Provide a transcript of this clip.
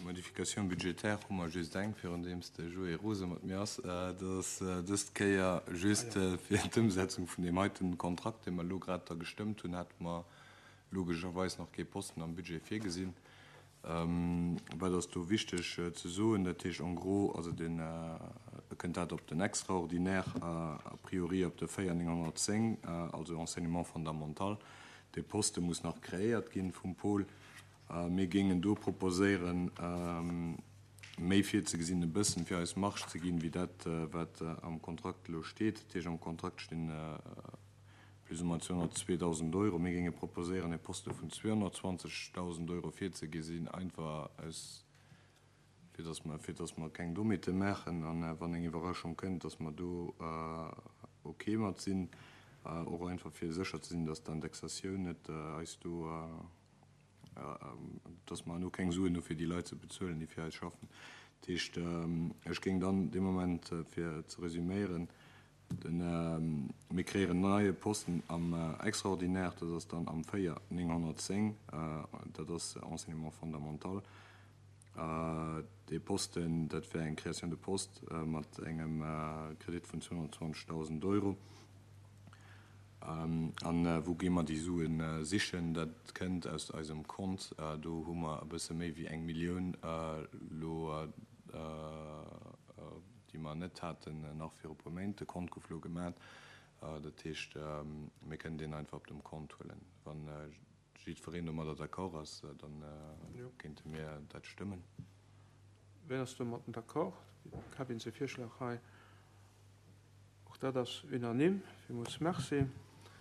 Modification budgétaire hu mer just eng, virun deem s de Joé rose mat mir ass. Dat ass dëst Kéier just fir d'Ëmsetzung vun deem heiten Kontrakt, dee mer elo grad da gestëmmt hunn, hate mer logescherweis nach kee Posten am Budget virgesinn. Wat ass do wichteg ze soen? Dat heescht en gros, also den, e kënnt dat op den Extraordinaire, a priori op de 4910, also Enseignement fondamental. Dee Poste muss nach kreéiert ginn vum Pol. Mir géingen do proposéieren, méi virzegesinn, e bëssen, fir eis Marge ze ginn, wéi dat, wat am Kontrakt elo steet. Dat heescht, am Kontrakt stinn plus ou moins 202.000 Euro. Mir géinge proposéieren, e Poste vun 220.000 Euro virzegesinn, einfach aus, fir dass mer, fir dass mer keng Dommheete maachen an wann eng Iwwerraschung kënnt, dass mer do ok mat sinn. Och einfach fir sécher ze sinn, dass d'Indexatioun net eis do, dass mer elo keng Suen hu fir déi Leit ze bezuelen, déi fir eis schaffen. Dat heescht, ech géing dann dee Moment, fir ze resüméieren, Den, mir kréieren en neie Posten am Extraordinaire, dat ass dann am 4 910, dat ass Enseignement fondamental. Dee Posten, dat wär eng Création de poste mat engem Kredit vun 220.000 Euro. A wou gi mer déi Sue sichen? Dat kënnt aus eisem Kont. Do hu mer e bësse méi wéi eng Millioun elo. déi mer net haten nach viru puer Méint. De Kont gouf elo gemat. Dat heescht, mir kënnen deen einfach op dem Kont huelen. Wa jiddwereen domadder d'accord ass, da kéinte mir dat stëmmen. Wien ass domatten d'accord? De Kevin säi Virschlag hei, och dat ass unanime. Villmools Merci.